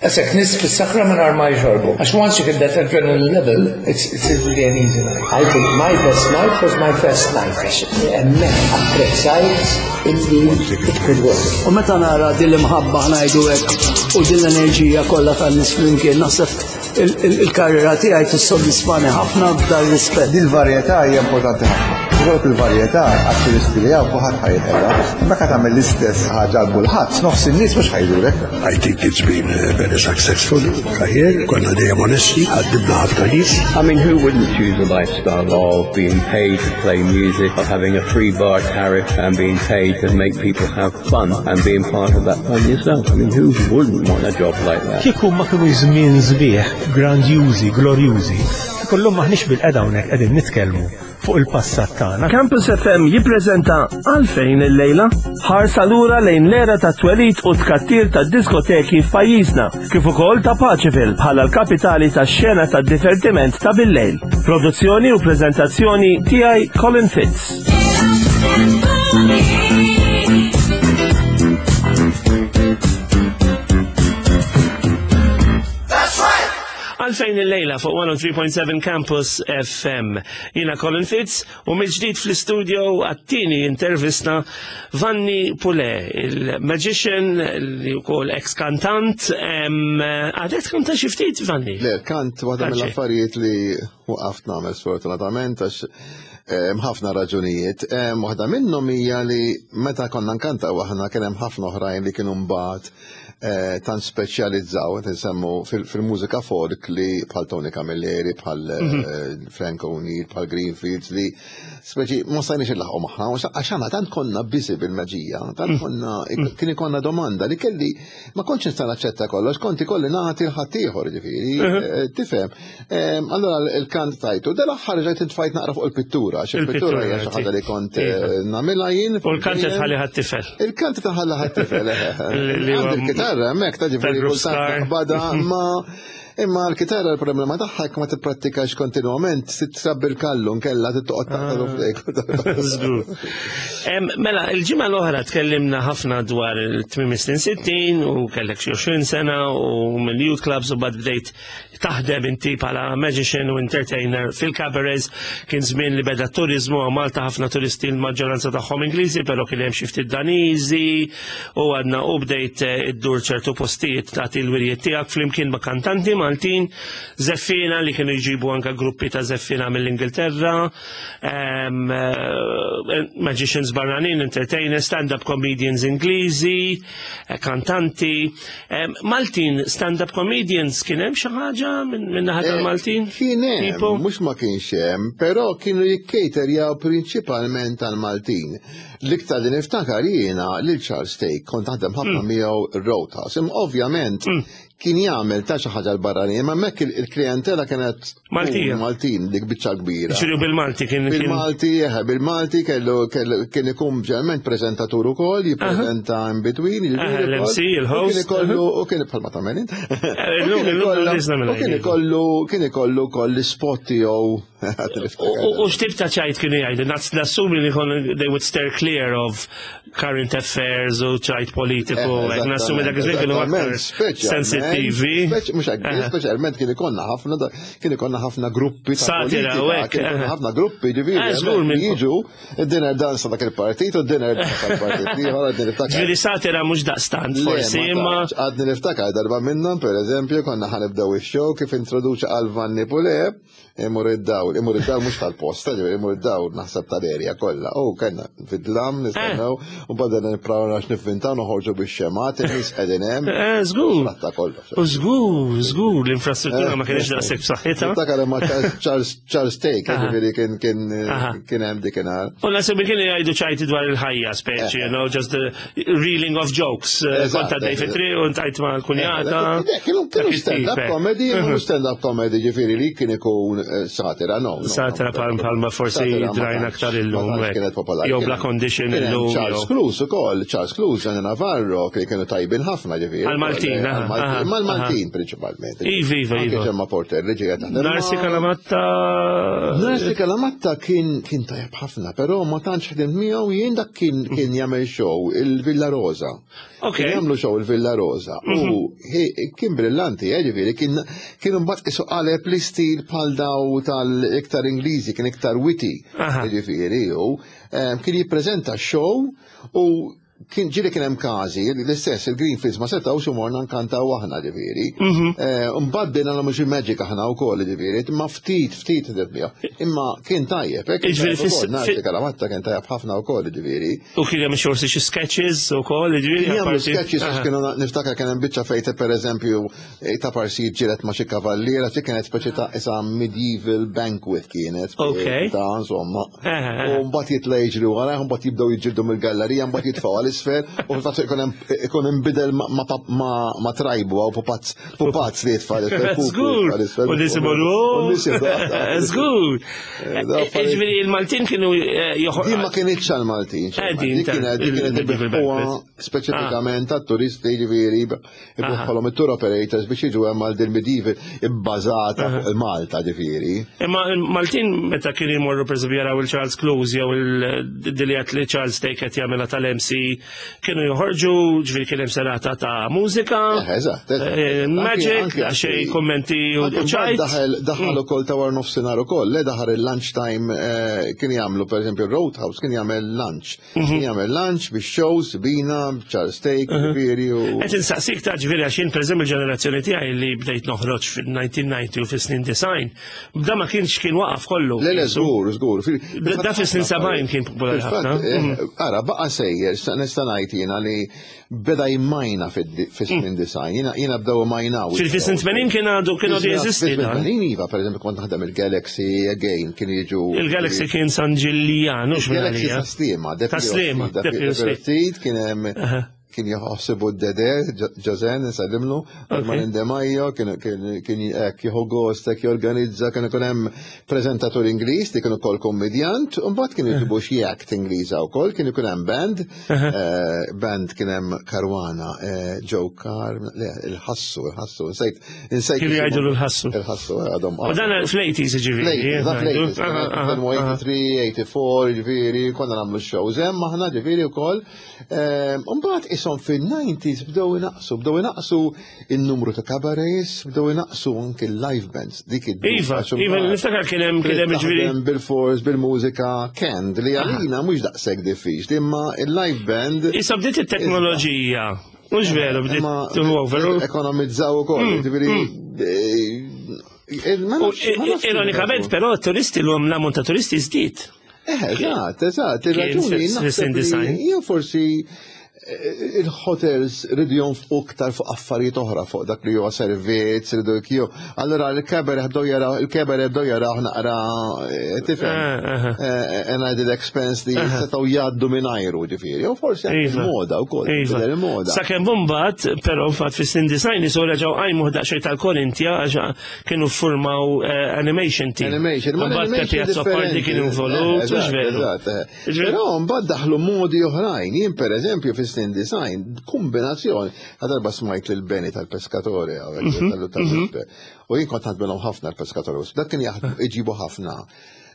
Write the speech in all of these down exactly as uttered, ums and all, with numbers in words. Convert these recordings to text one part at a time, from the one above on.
Għasek nies fis-sakra minn ma jxorbu. Għax once you get that adrenaline level, it's, it's really an easy night. I think my best night was my first night. Għax hemmhekk apprezzajt illi it could work. U meta nara din l-imħabba ngħidu hekk u din l-enerġija kollha tan-nies flimkien naħseb il-karriera tiegħi tissodisfani ħafna f'dar rispett. Dil-varjetà hija importanti ħafna. Ikollok il-varjetà għat-turisti li hawn kulħadd ħa jinqeda. Meta tagħmel l-istess ħaġa għal kulħadd, nofs in-nies mhux ħa jżurek. I think it's been uh, very successful career. Konna dejjem onesti, ħaddimna ħafna nies. I mean, who wouldn't choose a lifestyle of being paid to play music, of having a free bar tariff and being paid to make people have fun and being part of that fun yourself? I mean, who wouldn't want a job like that? Kieku ma kienu żmien sbieħ, grandjużi, glorjużi, kollhom maħniex bilqiegħda hawnhekk qegħdin nitkellmu fuq il-passat tagħna. Campus F M jippreżenta Għalfejn il-lejla ħarsa lura lejn l-era ta' twelid u tkattir ta' diskoteki f'pajjiżna, kif ukoll ta' Paceville bħala l-kapitali tax-xena ta' divertiment ta' bil-lejl. Produzzjoni u preżentazzjoni tiegħi, Colin Fitz. Għalfejn il-lejla fuq mija u tlieta punt seba' Campus F M. Jiena Colin Fitz u mill-ġdid fl-studio għat-tieni intervista Vanni Pule, il-magician li wkoll ex-kantant. Għadek kanta xi ftit, Vanni? Le, kant waħda Kanċi. mill-affarijiet li waqaft nagħmel sfortunatament għax hemm ħafna raġunijiet. Em, Waħda minnhom hija li meta konna nkantaw aħna kien hemm ħafna oħrajn li kienu mbagħad eh, tant speċjalizzaw, qed insemmu fil- fil-mużika folk li bħal Tony Camilleri, bħal eh, Frank O'Neill, bħal Greenfields li speċi ma stajniex nlaħħqu magħha, għax aħna tant konna busy bil-maġija, tant konna kien ikonna domanda li kelli ma kontx nista' naċċetta kollox, konti kolli nagħti 'l ħaddieħor ġifieri, eh, tifhem. Em, Allora il-kant tajtu, dal-aħħar ġejt intfajt naqra fuq il-pittura, għax il-pittura hija xi ħaġa li kont eh, nagħmilha jien. U l-kant tħalli ħat-tifel. Il-kant taħalla ħat-tifel. Li- li huwa- Għandi l-kitarra hemmhekk ta' ġifieri tal-Group kultant Star. naqbadha ma imma l-kitarra l-problema tagħha jekk ma tipprattikax kontinwament titrabbi l-kallu nkella tittoqgħod taqtalu f'dejk. Żgur. Em, Mela, il-ġimgħa l-oħra tkellimna ħafna dwar il-tmiem snin sittin u kellek xi għoxrin sena u mill-youth clubs u bad bdejt taħdem inti bħala magician u entertainer fil-cabarets. Kien żmien li beda turizmu għaw Malta, ħafna turisti, l-maġġoranza tagħhom Ingliżi, però kien hemm xi ftit Daniżi u għadna u bdejt eh, iddur ċertu postijiet tagħti l-wirjiet tiegħek flimkien ma' kantanti Maltin, żeffiena li kienu jġibu anka gruppi ta' żeffiena mill-Ingilterra, em, eh, magicians barranin, entertainers, stand-up comedians Ingliżi, eh, kantanti. Em, Maltin stand-up comedians kien hemm xi ħaġa minn min naħa tal-Maltin? Kien hemm, Tipo? mhux ma kienx hemm, però kienu jikkejterjaw prinċipalment tal-Maltin. L-iktar li niftakar jiena lil Charles Thake, kont naħdem ħafna miegħu Roadhouse. Imma ovvjament kien jagħmel ta' xi ħaġa l-barranin, imma hemmhekk il- il-klijentela kienet Maltija. Maltin dik biċċa kbira. Ġifieri bil-Malti kien kien- Bil-Malti, eħe, bil-Malti kellu kellu kien ikun ġeneralment prezentatur ukoll, jippreżenta in between, Aha, jiġifieri l-M C, ukoll. il-host, U kien ikollu, u kien bħalma tagħmel int. Eh, U illum- kien illum ikollha- nisna minn U kien għajdi. ikollu, kien ikollu koll l-spot tiegħu. U u x'tip ta' ċajt kienu jgħidu? Nas- Nassumi li kon they would steer clear of current affairs u ċajt politiku. Eh, Hekk nassumi dak iż-żmien kienu aktar sensittivi. Mhux hekk, speċjalment kien ikonna ħafna kien ikonna ħafna gruppi ta' Satira, u politika, hekk, kien ikonna eh. ħafna gruppi ġifieri Eh, żgur hemmhekk minn- jiġu id-dinner dance ta' dak il-partit u d-dinner dance tal-partit ieħor għadni niftakar. Ġifieri satira mhux daqstant Le, forsi, ma imma tantx. Għadni niftakar darba minnhom, per eżempju, konna ħa nibdew ix-show kif introduċa għal Vanni Pule, imur id-dawl, imur id-dawl mhux tal-posta, ġifieri imur id-dawl naħseb tal-erja kollha. U kellna fid-dlam nistennew u badna nippraw għax nivvintaw noħorġu bix-xemat, in-nies qegħdin hemm. Eh, żgur. Tratta kollox. U żgur, żgur, l-infrastruttura ma kienx daqshekk b'saħħitha. Niftakar imma Charles Charles Thake, Aha. ġifieri kien kien Aha. kien hemm dikinhar. U nasib kienu jgħidu ċajti dwar il-ħajja speċi, you know, just the reeling of jokes. Eh, Eżatt, Kont għaddej eżatt. fit-triq u ntajt ma' l-kunjata. Eh, Kienu kienu Dak it-tip, stand-up eh. comedy, kienu stand-up comedy ġifieri li kien ikun eh, satira, no. no, Satira no. pal palma forsi Satira ma drajna tantx- aktar illum. ma tantx hekk. kienet popolari. Jew Kien- bla condition kien hemm illum. Charles jew- Cruise ukoll, Charles Cruise, Gianni Navarro, li kienu tajbin ħafna ġifieri. Għal-Maltin, Eh, aha, għal-Maltin. aha. Mal-Maltin prinċipalment. Iva, iva, Anke iva. Ġemma Porter li ġejja taħdem. Narsi Kalamatta. Narsi Kalamatta kien kien tajjeb ħafna, però ma tantx ħdimt miegħu jien. Dak kien kien jagħmel show il-Villa Rosa. Ok. Kien jagħmlu show il-Villa Rosa. U he- kien brillanti, eh, ġifieri, kien kien imbagħad isu qaleb l-istil bħal daw tal-iktar Ingliżi, kien iktar witty. Aha. Ġifieri, u em, kien jippreżenta show u kien ġieli kien hemm każi l-istess il-Greenfields ma setgħux u morna nkantaw aħna, ġifieri. Eh, Mbagħad bdejna nagħmlu xi magic aħna wkoll, ġifieri, imma ftit ftit ħdimt miegħu. Imma kien tajjeb, hekk kien Ġifieri tajjeb fis- ukoll, Narsi fi- Kalamatta kien tajjeb ħafna wkoll, ġifieri. U kien hemm xorsi xi sketches u koll, ġifieri. Kien jagħmlu apparti- sketches Aha. kienu niftakar kien hemm biċċa fejte, pereżempju, eh, ta' parsi ġiret ma' xi kavalliera, xi kienet speċi ta' isa medieval banquet kienet. Ok. Ta' insomma. Aha, aha. U mbagħad jitla' jiġri wara, mbagħad jibdew jiġġieldu mill-gallerija, mbagħad jitfgħu għal-isfel, u fil-fatt ikun hemm ikun inbidel ma- ma ma ma trajbu għaw pupazz pupazz li jitfa' l-isfel. Żgur. U nies imorru. U nies jibdew- Żgur. Eh, daw affarijiet- Ġifieri il-Maltin kienu eh, joħor. Din ma kienitx għal-Maltin. Eh, din Din kienet din kienet il-medieval ibiħuha banquet. speċifikament għat-turisti, ġifieri ibiħħolhom it-tour operators biex jiġu hemm għal din medieval ibbażata fuq il-Malta, ġifieri. Imma il-Maltin meta kienu jmorru, per eżempju, jaraw il-Charles Close jew il-dilijat li Charles Stake qed jagħmilha tal-M C, kienu joħorġu, ġifieri kien hemm serata ta' mużika, Eh, Eżatt. eżatt. eh, magic, Anke- anke- xej kommenti u Anke u ċajt. Daħal daħal ukoll ta' war nofsinhar ukoll, le daħal il-lunch time, eh, kien jagħmlu, pereżempju, Roadhouse kien jagħmel lunch. Kien jagħmel lunch biex shows bina, Charles Stake, ġifieri u Qed insaqsik ta' ġifieri għax jien, pereżempju, il-ġenerazzjoni tiegħi li bdejt noħroġ fil-elf disa' mija u disgħin u fis-snin disgħin, da ma kienx kien waqaf kollu. Le, le, żgur, żgur. Fil- Da- da fis-snin sebgħin kien popolari Fil-fatt, ħafna. eh, Mhm. Ara, baqa sejjer, sa- nista' ngħid jiena li beda jmajna fis-snin disgħin, jiena jiena bdew majnaw. Fil-snin tmenin kien għadu kien għadu jeżisti dan. Fis-snin iva, per eżempju, kont naħdem il-Galaxy again, kien jiġu. Il-Galaxy kien San Ġiljan, mhux minn Il-Galaxy għalija. ta' Sliema. Ta' Sliema, Depi Street, kien hemm Aha. kien jaħsibu d-dede, Ġozen, nsallimlu, Arman Demajo, kien kien hekk jieħu gost, hekk jorganizza, kien ikun hemm preżentatur Ingliż li kien ukoll kommedjant, u mbagħad kien jġibu xi act Ingliża wkoll, kien ikun hemm band, eh, band kien hemm Karwana, eh, Joe Carr, le, il-ħassu, il-ħassu, insejt, insejt. Kienu jgħidu l-ħassu. Il-ħassu, għadhom. U dan fl-eighties, ġifieri. Fl-eighties, Aha, aha, aha. tminja u tmenin, tmienja u disgħin, ġifieri, konna nagħmlu shows hemm aħna, ġifieri, wkoll. Mbagħad ishom fil-nineties bdew inaqsu, bdew inaqsu il-numru ta' cabarets, bdew inaqsu anke il-live bands. Dik id Iva, iva, niftakar kien hemm kien hemm ġifieri. Taħdem bil-fors, bil-mużika, canned, li għalina mhux daqshekk diffiċli, imma il-live band Issa bdiet it-teknoloġija. Mhux veru, bdiet Imma to over. ekonomizzaw ukoll, ġifieri, eh, ma U nafx- ma nafx ironikament, però, turisti l-hom l-ammont ta' turisti żdied. Eh, eżatt, eżatt, il-raġuni Kien naħseb fis-snin li disgħin. Jien forsi eh, il-hotels ridu jonfqu iktar fuq affarijiet oħra, fuq dak li huwa servizz, ridu kju. Allora il-cabaret bdew jaraw, il-cabaret bdew jaraw naqra, eh, tifhem. Ah, ah. Eh, An added expense li setgħu jgħaddu mingħajru, ġifieri. U forsi anke Iva. il-moda wkoll, Iva. tidher il-moda. Sakemm mbagħad, però fatt fis-snin disgħin isu reġgħu qajmu daqsxejn tal-Korintja għax kienu ffurmaw eh, animation team. Animation, ma Mbagħad l-animation Peppi Azzopardi differenti. kien involut, Eh, mhux eżatt, veru. eżatt, eh. Ġifieri- Però mbagħad daħlu modi oħrajn. Jien, pereżempju, fis-snin disgħin, kombinazzjoni, darba smajt lil Beni tal-Pescatore hawnhekk, Mhm, tal- u jien kont naħdmelhom ħafna l-Pescatore. Dak kien jaħdmu iġibu ħafna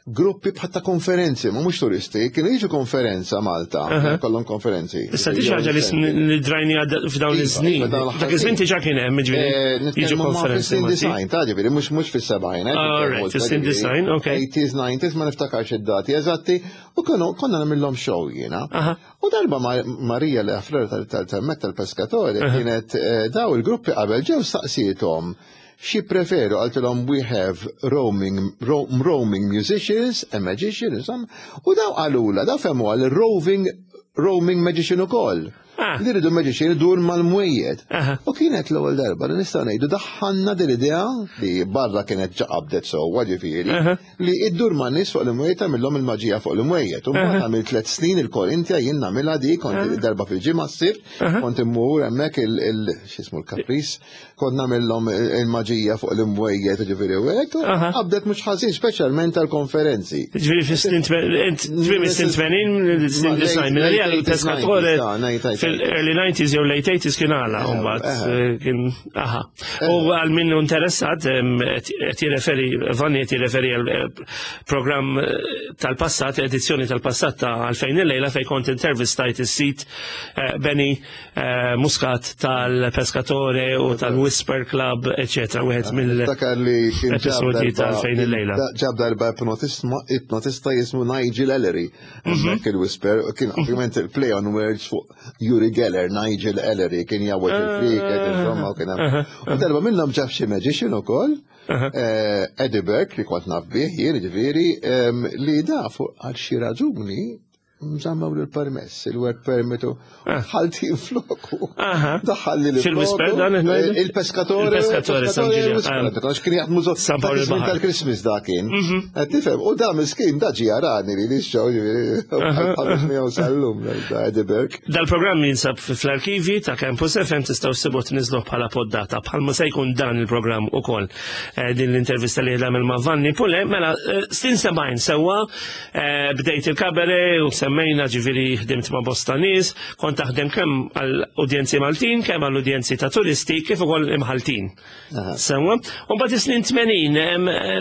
gruppi bħal ta' konferenzi, ma mhux turisti, kienu jiġu konferenza Malta, kollhom konferenzi. Issa di xi ħaġa li sn- li drajni għadda f'dawn Iva, iż-snin. iva, dawn Dak iż-żmien diġà kien hemm, ġifieri Eh, jiġu nitkellmu ma' konferenzi fis-snin Malti. disgħin, ta' ġifieri, mhux mhux fis-sebgħin. eh, All right, fis-snin disgħin, okay. eighties, nineties, ma niftakarx id-dati eżatti, u kienu konna nagħmilhom show jiena. Aha. U darba Ma- Marija li għafler tal-temmek tal-Pescatore kienet eh, daw il-gruppi qabel ġew staqsietom xi preferu, qaltilhom, "We have roaming, ro roaming musicians, a magician", insomma, u daw qalula, daw fehmu għal roving roaming magician ukoll. Ah. Li rridu magician idur mal-mwejjed. Aha. U kienet l-ewwel darba li nistgħu ngħidu daħħalna din l-idea li barra kienet ġaqabdet sewwa, ġifieri, Aha. li iddur ma' nies fuq l-imwejjed, tagħmilhom il-maġija fuq l-imwejjed. U mbagħad għamil tliet snin il-Korintja jien nagħmilha di, kont darba fil-ġimgħa s-sibt, kont immur hemmhekk il il- x'ismu l-Kapris, kont nagħmilhom il-maġija fuq l-imwejjed, ġifieri, u hekk, u Aha. qabdet mhux ħażin, speċjalment tal-konferenzi. Ġifieri fis-snin tmenin, tmiem is-snin tmenin, snin disgħin, minn għalija l-Pescatore Fil-early nineties jew late eighties kien għala, mbagħad eh, kien aha. U għal min hu interessat qed jirreferi, Vanni qed jirreferi għal eh, programm eh, tal-passat, edizzjoni tal-passat ta' Għalfejn il-lejla fejn kont intervistajt is-sit Benny Muscat tal-Pescatore u tal-Whisper Club, eċetera, wieħed mill-episodji ta' Għalfejn il-lejla. Ġab darba ipnotista jismu Nigel Ellery, mhm. il-Whisper, kien ovvjament il-play on words fuq Uri Geller, Nigel Ellery, kien jgħawweġ il-friket, insomma, u kien hemm. U darba minnhom ġab xi magician ukoll, eh, Eddie Burke, li kont naf bih, jien ġifieri, li da fuq għal xi raġuni nżammaw l-permess, il-work permit u ah. ħalti floku. Daħalli l Fil-Whisper dan Il-Pescatore. Il-Pescatore, San Ġiljan. Għax kien jaħdmu tal tal-Christmas da kien. Mhm. Tifhem, u da miskin da ġi jarani li li xow ġifieri sal-lum da Eddie Burke. Dal-programm jinsab fl-arkivi ta' Campus F M tistgħu ssibu tniżlu bħala poddata bħalma se jkun dan il-programm ukoll eh, din l-intervista li għamel ma' Vanni Pule, mela eh, snin sebgħin sewwa eh, bdejt il-kabare u semmejna ġifieri ħdimt ma' bosta nies, kont taħdem kemm għall-udjenzi Maltin, kemm għall-udjenzi ta' turisti, kif ukoll imħaltin. Sewwa, u mbagħad is-snin tmenin,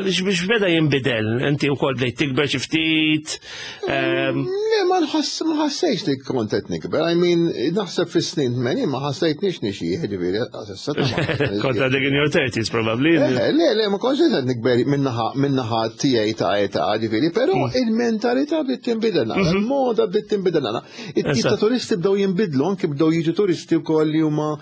biex beda jinbidel, inti wkoll bdejt tikber xi ftit. Le, ma nħoss, ma ħassejx li kont qed nikber, I mean, naħseb fis-snin tmenin ma ħassejtniex nixjieħ, ġifieri, s'issa ta' ma ħassejtniex. Kont għadek in your thirties probably. Le, le, le, ma kontx qed nikber minnaħa tiegħi ta' età, ġifieri, però mm. il-mentalità bdiet tinbidel naqra, mhm. il-moda bdiet tinbidel naqra. It-tip ta' turisti bdew jinbidlu, anke bdew jiġu turisti wkoll li huma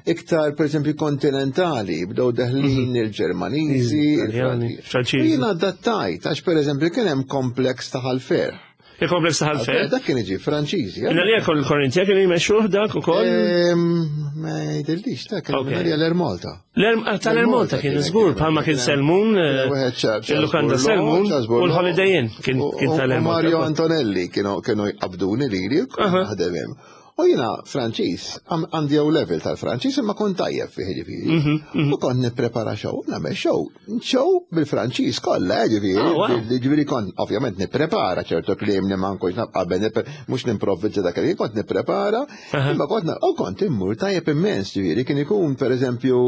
iktar pereżempju kontinentali, bdew deħlin mhm. il-Ġermaniżi, il-Franċiżi. Jiena adattajt, għax pereżempju kien hemm kompleks ta' Ħal-Ferħ. Il-kompleks ta' Ħal-Ferħ? Dak kien iġi Franċiżi. Inna li jekk il-Korintja kienu jmexxuh dak ukoll? Ma jidhirlix, dak kien l-Air Malta. Tal-Air Malta kien żgur, bħalma kien Selmun, il-lukanda Selmun u l-Holiday Inn kien tal-Air Malta. Mario Antonelli kienu jqabduni lili, naħdem hemm. U jiena Franċiż, għandi O level tal-Franċiż imma kont tajjeb fih ġifieri. Mhm, mhm. U kont nipprepara show, nagħmel show, show bil-Franċiż kollha, eh, ġifieri. Oh, ġifieri kont ovvjament nipprepara ċertu kliem li ma nkunx naf qabel, mhux nimprovvizza dak li kont nipprepara, imma kont u kont immur tajjeb immens, ġifieri kien ikun pereżempju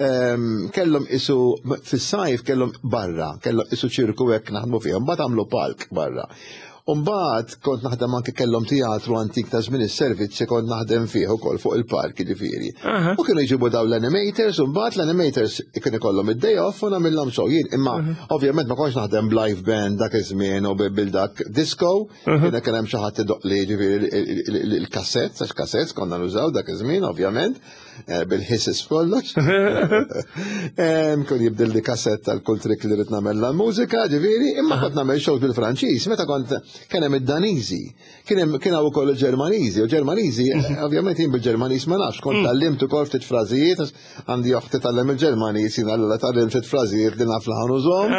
ehm, kellhom isu fis-sajf kellhom barra, kellhom isu ċirku hekk naħdmu fihom, mbagħad għamlu palk barra. Umbagħad kont naħdem anke kellhom teatru antik ta' żmien is-servizzi kont naħdem fih ukoll fuq il-park ġifieri. U kienu jġibu daw l-animators u mbagħad l-animators kien ikollhom id-day off u nagħmilhom show jien. Imma ovvjament ma kontx naħdem b'live band dak iż-żmien u bil dak disco, kien kien hemm xi ħadd idoq li ġifieri il-kassettes, għax kassettes konna nużaw dak iż-żmien ovvjament, eh, bil-hisses f'kollox. Kun jibdil li kassett tal kull trick li rrid nagħmel l-mużika, ġifieri, imma kont nagħmel shows bil-Franċiż, meta kont kien hemm id-Daniżi, kien hemm kien hawn ukoll il-Ġermaniżi, u Ġermaniżi, mhm. ovvjament jien bil-Ġermaniż ma nafx, kont mm. tgħallimt ukoll ftit frażijiet, għandi oħti tgħallem il-Ġermaniż, jien allura tgħallimt ftit frażijiet li naf laħan użhom,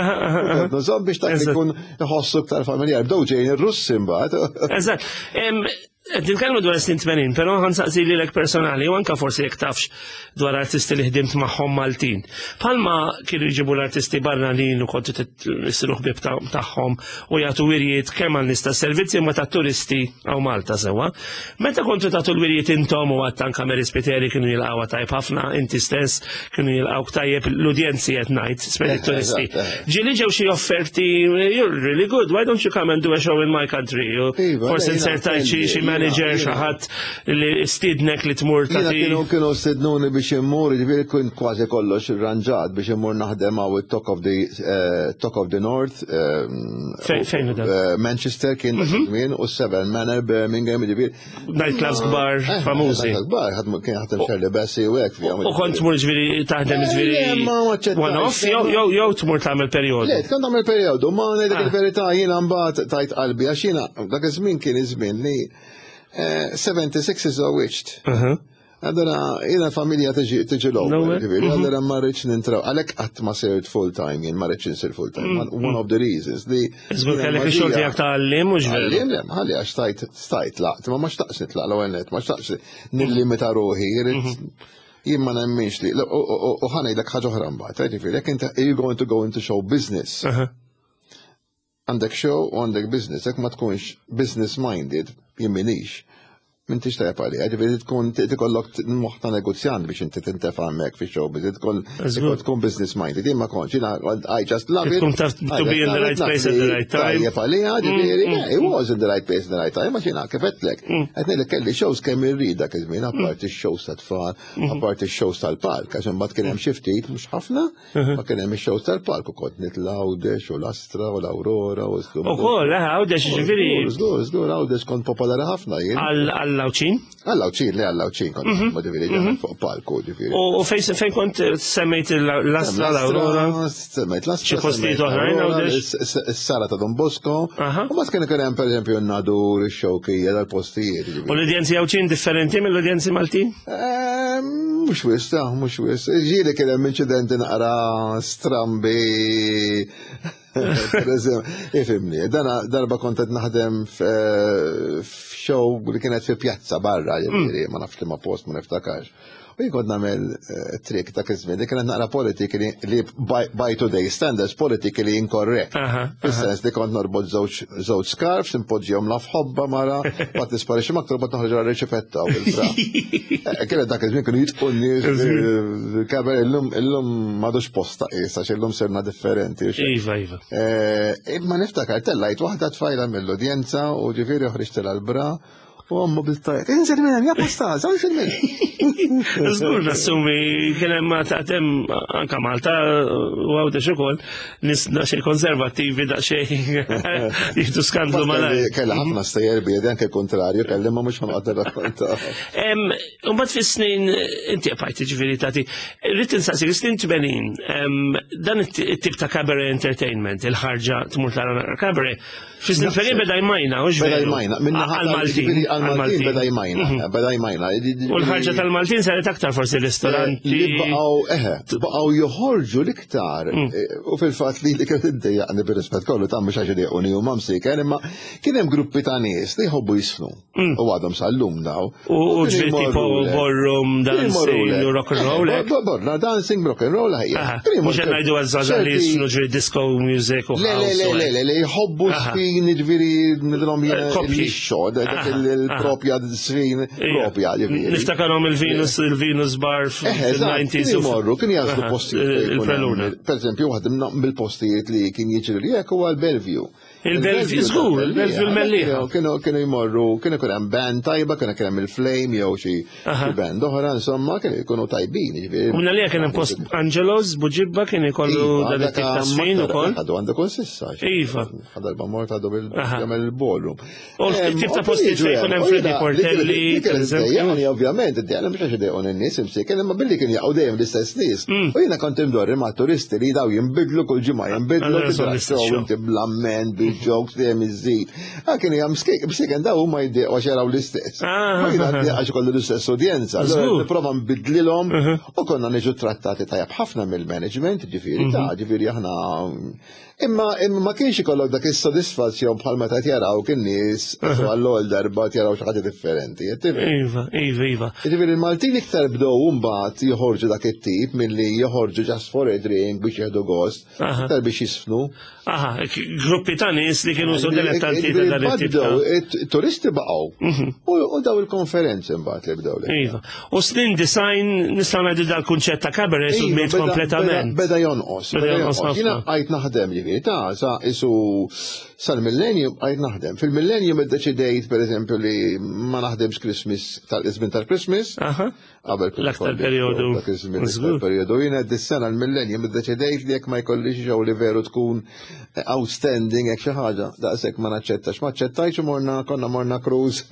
kont nużhom biex dak ikun iħossu iktar familjar. Bdew ġejjin ir-Russi mbagħad. Eżatt. Nitkellmu dwar snin tmenin, però ħa nsaqsi lilek personali, u anka forsi jekk tafx dwar artisti li ħdimt magħhom Maltin. Palma kienu jġibu l-artisti barranin u kontu tissiru ħbieb tagħhom u jagħtu wirjiet kemm għal nies tas-servizzi ma ta' turisti għaw Malta sewwa. Meta kontu tagħtu l-wirjiet intom u għadt anka Mary Spiteri kienu jilqgħuha tajb ħafna, inti stess kienu jilqgħu tajjeb l-udjenzi qed ngħid, speċi eh, turisti. Eh. Ġieli ġew xi offerti, you're really good, why don't you come and do a show in my country? Iva, forsi insertajt xi manager xi ħadd li stidnek li tmur ta' Kienu kienu stidnuni biex immur, ġifieri kien kważi kollox irranġat biex immur naħdem hawn it-Talk of the eh, Talk of the North. Eh, fejn eh, Manchester kien dak mhm. żmien u Seven Manor Birmingham, ġifieri. Night clubs kbar famużi. Kbar, kien ħatem Shirley Bassey u hekk fihom. U kont tmur ġifieri taħdem ġifieri one off jew jew tmur tagħmel perjodu. Le, kont tagħmel perjodu, ma ngħidlek ah. il-verità jiena mbagħad tajt qalbi għax jiena dak iż-żmien kien iż-żmien li seventy-six iżżewwiġt. Allora, jiena familja tiġi l-ewwel, ġifieri, mhm. allora ma rridx nintraw, għalhekk qatt ma sirt full time, jien ma rridx insir full time. Mm. One of the reasons li. Żgur kellek ix-xogħol tiegħek ta' għallim mhux veru. Għallim, le, ħalli għax stajt stajt laqt, ma ma xtaqx nitlaq l-ewwel net, ma xtaqx nillimita ruħi, mhm. jien ma nemminx li, u ħa ngħidlek ħaġa oħra mbagħad, ġifieri, jekk inti you going to go into show business. Għandek show u għandek business, jekk ma tkunx business minded, jien minix. M'intix tajjeb għalija, ġifieri tkun tikollok moħħ ta' negozjant biex inti tintefa' hemmhekk fi showbiz, tkun tkun business minded. Jien ma kontx, jiena I just love it. Tkun taf to be in the right place at the right time. Tajjeb għalija, ġifieri, it was in the right place at the right time, għax jiena kif għedtlek. Qed ngħidlek kelli shows kemm irrid dak iż-żmien, apparti x-shows tat-tfal, apparti x-shows tal-palk, għax imbagħad kien hemm xi ftit mhux ħafna, ma kien hemm ix-shows tal-palk u kont nitla' Għawdex u l-Astra u l-Aurora u Ukoll, eh, Għawdex ġifieri. Żgur, żgur, Għawdex kont popolari ħafna jien. Għall-Għawdxin? Għall-Għawdxin, le għall-Għawdxin kont, ma ġifieri fuq palku, ġifieri. U fejn fejn kont semmejt l-Astra, l-Aurora? Semmejt l-Astra. Xi postijiet oħrajn Għawdex? Is-sala ta' Don Bosco. U ma kien ikun hemm pereżempju n-Nadur, ix-Xewkija, dal-postijiet. U l-udjenzi Għawdxin differenti mill-udjenzi Maltin? Mhux wisq, ta' mhux wisq. Ġieli kien hemm inċidenti naqra strambi. Per eżempju, ifhimni, dana darba kont qed naħdem f'show li kienet fi pjazza barra, ġifieri, ma nafx li ma post ma niftakarx. U jien kont nagħmel trick ta' iż-żmien li kienet naqra politically li by today standards politically incorrect. Fis-sens li kont norbot żewġ żewġ scarfs, impoġġihom la f'ħobba mara, bat nisparixxi aktar bat noħroġ għal riċipetta u bil-fra. Kienet dak iż-żmien kienu jitqu n-nies kaber illum illum m'għadux posta qies għax illum sirna differenti. Iva, iva. Imma niftakar tellajt waħda tfajla mill-udjenza u ġifieri ħriġtilha l-bra u ommu bil-tajt. Inżel minn hemm, ja posta, inżel minn. Żgur nassumi kien hemm taqtem anka Malta u Għawdex ukoll nies daqsxejn konservattivi daqsxejn jieħdu skandlu malajr. Kellha ħafna stejjer biedi anke kontrarju, kelli ma mhux ħanqgħod nirrakkonta. Imbagħad fis-snin inti qbajt ġifieri tagħti, rrid insaqsik snin tmenin, dan it-tip ta' cabaret entertainment, il-ħarġa tmur tara cabaret, fis-snin tmenin beda jmajna, u Beda jmajna, minna għal-Maltin. Għal-Maltin beda jmajna, beda jmajna. U l-ħarġa tal-Maltin saret aktar forsi ristoranti. Li baqgħu, eħe, baqgħu joħorġu l-iktar. U fil-fatt li li kienet iddejjaqni bir-rispett kollu ta' mhux għax idejquni u mamsiken, imma kien hemm gruppi ta' nies li jħobbu jisfnu. U għadhom sal-lum daw. U ġifieri tipo ballroom, dancing, rock and roll. Borna, dancing, rock and roll, ħajja. Mhux qed ngħidu għaż-żgħażagħ li jisfnu ġifieri disco music u Le, le, le, le, le, le, jħobbu sfin, ġifieri, nidhom jien dak il-propja sfin, propja, ġifieri. Niftakarhom il-Venus, il-Venus Bar fil-nineties. Kienu jmorru, kienu jagħżlu postijiet. Il-Preluna. Per eżempju, waħda mill-postijiet li kien jiġri li hekk huwa l-Bellevue. Il-Bellevue, żgur, il-Bellevue l-Mellieħa. Kienu kienu jmorru, kienu kien hemm band tajba, kienu kien hemm il-Flame jew xi band oħra, insomma, kienu jkunu tajbin, ġifieri. U minna li kien hemm post Angelos, Buġibba kien ikollu dan it-tip ta' sfin ukoll. Għadu għandu kol sissa. Iva. Darba mort għadu bil-jagħmel il-ballroom. U tip ta' postijiet fejn ikun hemm Freddy Portelli, per eżempju. Ovvjament, id-dejja mhux għax idejqu n-nies imsieken, imma billi kien jaqgħu dejjem l-istess nies. U jiena kont imdorri ma' turisti li daw jinbidlu kull ġimgħa, jinbidlu show inti bl-amment, bil-jokes dejjem iżid. Ah, kien hija msiken daw huma jdiequ għax jaraw l-istess. Ma jiena għax ikollu l-istess udjenza. Nipprova nbidlilhom u konna niġu trattati tajjeb ħafna mill-management, ġifieri ta' ġifieri aħna. Imma imma ma kienx ikollok dak is-sodisfazzjon bħal meta jaraw kien nies għall-ewwel darba jaraw xi ħaġa differenti. Iva, iva, iva. Ġifieri il-Maltin iktar bdew mbagħad joħorġu dak it-tip milli joħorġu just for a drink biex jieħdu gost, iktar biex jisfnu. Aha, gruppi ta' nies li kienu so dilettanti ta' dan it-tip. Turisti baqgħu. U daw il-konferenzi mbagħad li bdew. Iva. U snin design nistgħu ngħidu dal-kunċett ta' cabaret sudmiet kompletament. Beda jonqos. Beda jonqos. Jiena bqajt naħdem ġifieri ta' sa isu sal-millennium bqajt naħdem. Fil-millennium iddeċidejt pereżempju li ma naħdemx Christmas tal-iżmin tal-Christmas. Qabel l-aktar periodu. Dak iż-żmien periodu. Jiena dis-sena l-millennium iddeċidejt li jekk ma jkollix xogħol li veru tkun outstanding hekk xi ħaġa, daqshekk ma naċċettax. Ma aċċettajx u morna konna morna cruise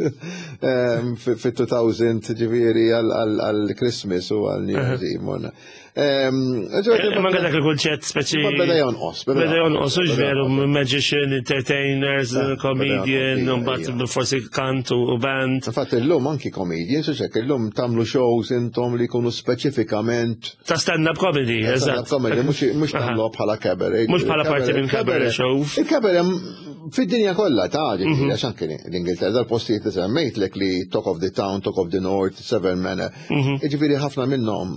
fit-two thousand ġifieri għal Christmas u għal New Year's Eve morna. Ma dak il-kunċett speċi. Beda jonqos. Beda jonqos, u veru, magician, entertainers, comedian, u mbagħad forsi kant u band. Infatti illum anki comedians, u xek illum tagħmlu shows intom li jkunu speċifikament. Ta' stand-up comedy, eżatt. Comedy, mhux tagħmlu bħala cabaret. Mhux bħala parti minn cabaret show. Il-cabaret fid-dinja kollha ta' ġifieri għax anke l-Ingilterra dal-postijiet li semmejtlek li Talk of the Town, Talk of the North, Seven Manor. Ġifieri ħafna minnhom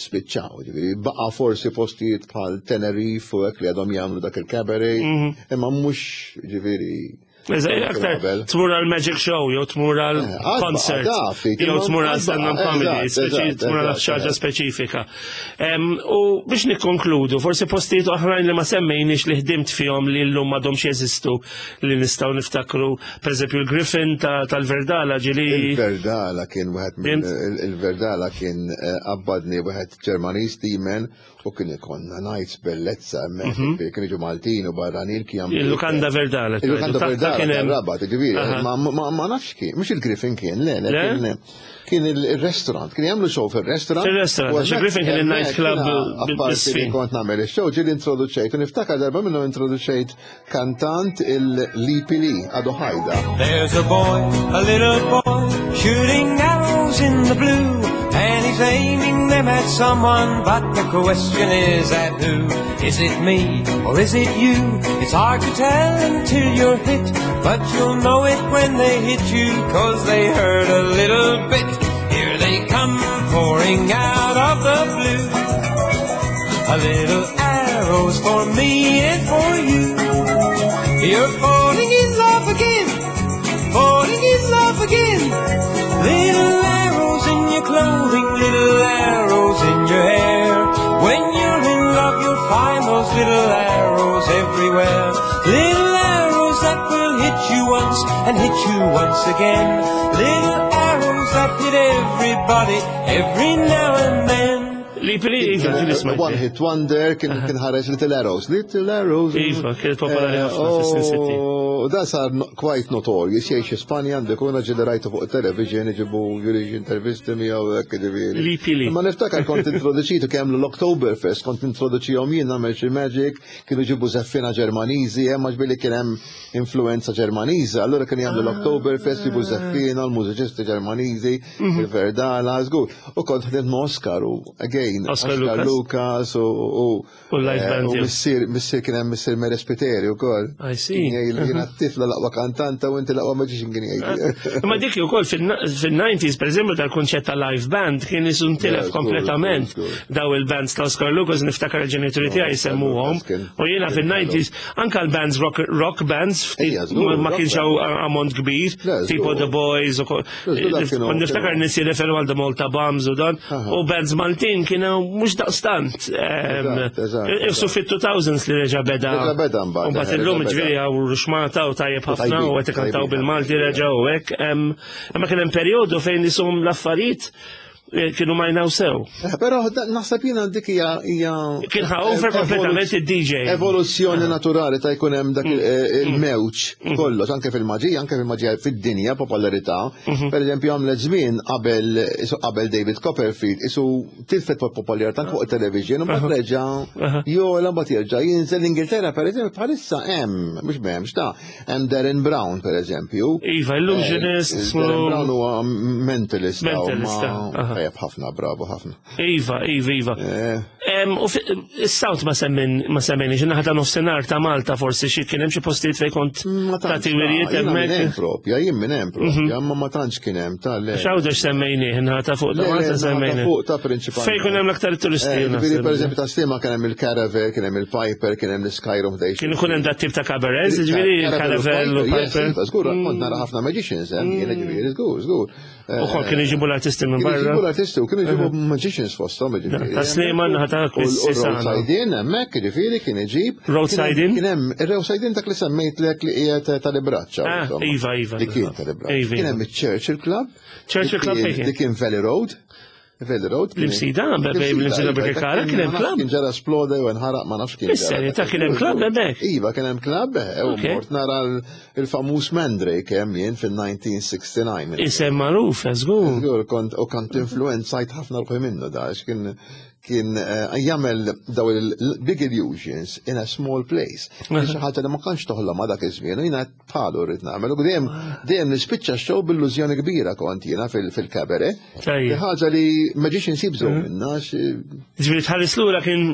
spiċċaw, ġifieri baqa' forsi postijiet bħal Tenerife u hekk li għadhom jagħmlu dak il-cabaret, imma mhux ġifieri Aktar tmur għal magic show, jew tmur għal Eh, concert, jew tmur għal stand-up comedy, tmur għal xaġa speċifika. U biex nikkonkludu, forsi postijiet oħrajn li ma semmejniex li ħdimt fihom li llum m'għadhomx jeżistu li nistgħu niftakru, pereżempju il-Griffin tal-Verdala ġili. Il-Verdala kien wieħed il-Verdala kien qabbadni wieħed Ġermaniż Timen u kien ikonna nights bellezza hemmhekk, kien iġu Maltin u barranin kien Il-Lukanda Verdala. Il-Lukanda Verdala kien Rabat, ġifieri, ma nafx kien, mhux il-Griffin kien, le, le, kien il-restaurant, kien jagħmlu show fil-restaurant. Fil-restaurant, għax il-Griffin kien il-night club bil-sfin. Kont nagħmel il-show, ġieli introduċejt, u niftakar darba minnu introduċejt kantant il-Lipi Li, għadu ħajda. There's a boy, a little boy, shooting arrows in the blue, and he's aiming them at someone, but the question is at who? Is it me or is it you? It's hard to tell until you're hit, but you'll know it when they hit you, cause they hurt a little bit. Here they come pouring out of the blue. A little arrows for me and for you. You're falling in love again, falling in love again. Little arrows in your clothing, little arrows in your hair. When you're in love, you'll find those little arrows everywhere. Little arrows that will hit you once and hit you once again. Little arrows that hit everybody every now and then. Li pili, Iva, kien isma' One Hit Wonder, kien kien ħareġ Little Arrows. Little Arrows. Iva, kienet popolari ħafna fis-snin sittin. U da sar quite notorious, jgħix Spanja għandek u ġieli rajtu fuq television, iġibu juriġ intervisti miegħu hekk ġifieri. Li pili. Ma niftakar kont introduċitu kemm l-Oktoberfest, kont introduċihom jien nagħmel xi magic, kienu ġibu żeffina Ġermaniżi, hemm għax billi kien hemm influenza Ġermaniża, allura kien jagħmlu l-Oktoberfest, ġibu żeffina, l-mużiċisti Ġermaniżi, il-Verdala, żgur. U kont ħdimt ma' Oscar u again, Oscar Oscar Lucas. Lucas u U live band u tiegħu. missier missier kien hemm missier Mere Spiteri wkoll. I see. Jiena t-tifla l-aqwa kantanta u inti l-aqwa magician kien jgħid. Ma dik ukoll fil-nineties, per eżempju, tal-kunċett ta' live band kien isu ntilef Yeah, kompletament. żgur, żgur. Daw il-bands ta' Oscar Lucas niftakar il-ġenituri tiegħi jsemmuhom. Lucas kien- U jiena kien fil-nineties anka l-bands rock, rock bands ftit Ejja, żgur, ma rock kienx hawn ammont kbir, Le, żgur. tipo The Boys u ko- Żgur, dak kienu- Kont niftakar kienu- nies jirreferu għal The Malta Bombs u dan, Aha. u bands Maltin kienu mhux daqstant. Ehm, Eżatt, eżatt, Ifsu fit-two thousands li reġa' beda. Reġa' beda mbagħad, U mbagħad eh, illum reġa' beda. ġifieri hawn ruxmata u tajjeb ħafna Tajbin, u qed ikantaw tajbin bil-Malti ħafna. reġa' u hekk. Em, Imma kien hemm perjodu fejn nisum l-affarijiet eh, kienu majnaw sew. Eh, Però da- naħseb jiena dik hija hija Kien ħa over kompletament id-D J. Evoluzzjoni naturali ta' jkun hemm dak il- Mm. eh, il-mewġ kollox, anke fil-maġija, anke fil-maġija fid-dinja, popolarità. Mhm. Per eżempju, għamlet żmien qabel isu qabel David Copperfield, isu tilfet popolarità anke fuq television, u mbagħad reġa' jola mbagħad jerġa' jinżel l-Ingilterra, per eżempju, bħalissa hemm, mhux m'hemmx ta' hemm Derren Brown, per eżempju. Iva, illusionist. Eh, Derren Brown huwa mentalist. Mentalist, ma- aha. Tajjeb ħafna, bravo ħafna. Iva, iva, iva. Eh, Em, U fi- is-South ma semmin ma semmejniex, naħa ta' nofsinhar ta' Malta forsi xi kien hemm xi postijiet fejn kont Ma tantx, tagħti wirjiet jiena minn hemm hemmhekk. propja, jien minn hemm propja, ma ma tantx kien hemm ta' le. X'Għawdex semmejnieh, naħa ta' fuq ta' Le, le, Malta naħa ta' semmejnieh. fuq ta' prinċipalment. Fejn kun hemm l-aktar turisti. Eh, Ġifieri, naħseb. per eżempju, ta' Sliema kien hemm il-Caravel, kien hemm il-Piper, kien hemm l-Skyroom Station. Kien ikun hemm dat tip ta' cabarets, ġifieri Caravel u Piper. Yes, żgur, kont nara ħafna magicians hemm, jiena ġifieri, żgur, żgur. U kol kien iġibu l-artisti minn Kienu barra. jġibu l-artisti u kienu jġibu magicians fosthom, ġifieri. Ta' Sliema naħa ta' U Kwissisana. Roadside Inn hemmhekk, ġifieri, kien iġib. Roadside Inn? Kien hemm ir-Roadside Inn dak li semmejtlek li qiegħed tal-Ibraċċa. Ah, insomma. iva, iva. Li kien tal-Ibraċċa. Iva, Kien iva. hemm il-Churchill Club. Churchill Li Club kien- fejn kien? Li kien Valley Road. Valley Road. kien- L-Imsida, bej l-Imsida iva, Birkirkara, kien hemm ma nafx club? Kien ġara sploda jew nħaraq, ma nafx kien ġara. Is-serjetà, ta' kien hemm club hemmhekk? Iva, kien hemm club, eh, u Ok. mort nara l- il-famuż Mandrake hemm jien fil-elf disa' mija u disgħa u sittin. Isem magħruf, żgur. Żgur, kont u kont influenzajt ħafna ruħi minnu da, għax kien kien eh, jagħmel daw il-big illusions in a small place. Kien xi ħaġa li ma kienx toħlom ma dak iż-żmien, u jiena bħalu rrid nagħmel. U dejjem dejjem nispiċċa show b'illużjoni kbira kont jiena fil-cabaret. Tajjeb. Ħaġa li magicians jibżgħu minna, għax Ġifieri tħares lura kien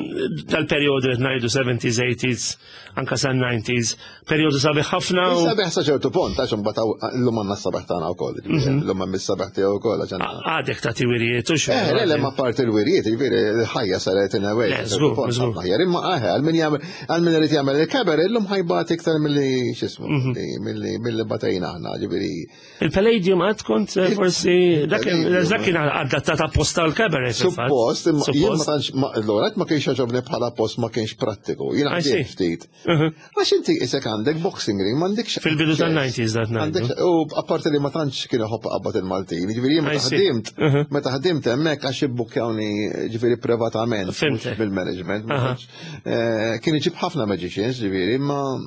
dal-perjodu qed ngħidu seventies, eighties, anka sa nineties, perjodu sabiħ ħafna u Sabiħ sa ċertu punt, għax imbagħad llum għandna s-sabiħ tagħna wkoll, llum hemm is-sabiħ tiegħu wkoll għax għandna. Għadek tagħti wirjiet u Eh, le, le, ma parti l-wirjiet, ġifieri, Il-ħajja saret in a way. Le, żgur, żgur. Aħjar, imma aħe, għal min jagħmel għal min irid jagħmel il-cabaret illum ħa jbati iktar milli x'ismu, Mhm. milli- milli milli batejna aħna, ġifieri. Il-Palladium għad kont eh, forsi dak kien Il-Palladium. dak kien adattat apposta l-cabaret fil-fatt. Suppost, imma jien ma Suppost. tantx ma- l-orat ma kienx għoġobni bħala post ma kienx prattiku. Jiena I see. ħdimt ftit. Mhm. Għax inti isek għandek boxing ring, m'għandekx. Fil-bidu tan-nineties dat ngħidu. Għandek, u apparti li ma tantx kien iħobb qabad il-Maltin, ġifieri jien I meta see. ħdimt, Mhm. meta ħdimt hemmhekk għax ibbukkjawni ġifieri privatament, mhux Fhimtek. bil-management. ma Aha. tantx, eh, Kien iġib ħafna magicians, ġifieri, ma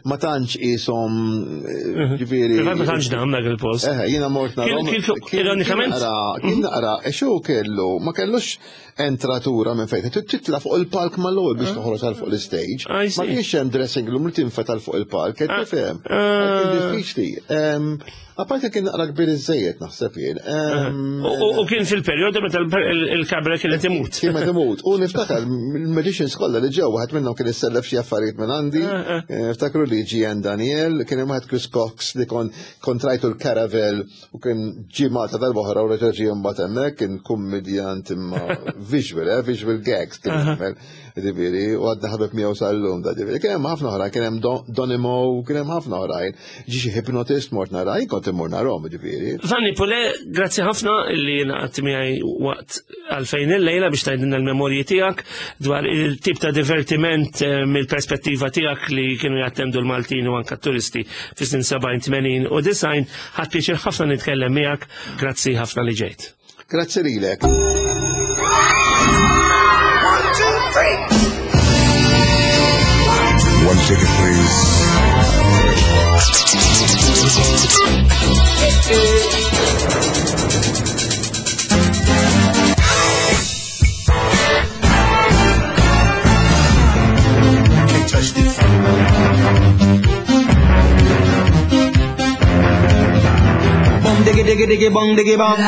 ma tantx qishom eh, ġifieri. Fil-fatt ma tantx dam dak il-post. Eh, jiena mort Kien- narahom. kien- ironikament- Kien naqra, kien naqra, e xu kellu, ma kellux entratura minn fejn. Trid titla fuq il-palk mal-ewwel biex toħroġ għal fuq l-stage. I Ma see. kienx hemm dressing room li tinfet għal fuq il-palk, qed Ah. tifhem. Ah. Kien diffiċli. Em, Apparti kien naqra kbir iżejjed naħseb jien. Em, U- U u kien fil-perjodu meta il- il-cabaret kienet imut. Kien meta imut. U niftakar il-magicians kollha li ġew, waħed minnhom kien issellef xi affarijiet minn għandi. Ah, ah. Eh, Ftakru li Gian Daniel, kien hemm waħed Chris Cox li kon kontrajtu l-Caravel u kien ġie Malta darba oħra u reġa' ġie mbagħad hemmhekk, kien kummedjant imma visual, eh, visual gags kien jagħmel. Ġifieri, u għadna ħabib miegħu sal-lum da ġifieri. Kien hemm ħafna oħrajn, kien hemm Don- Donny Moe, kien hemm ħafna oħrajn. Ġie xi hypnotist mort nara, jien kont immur narahom ġifieri. Vanni Pule, grazzi ħafna li naqat miegħi waqt għalfejn il-lejla biex tgħidilna l-memorji tiegħek dwar il-tip ta' divertiment eh, mill-perspettiva tiegħek li kienu jattendu l-Maltin u anka turisti fis-snin sebgħin, tmenin u disgħin. Ħadt pjaċir ħafna nitkellem miegħek. Grazzi ħafna li ġejt. Grazzi lilek. One, two, three. One ticket, please. Can't touch this. Bum diggy diggy diggy bum diggy bum.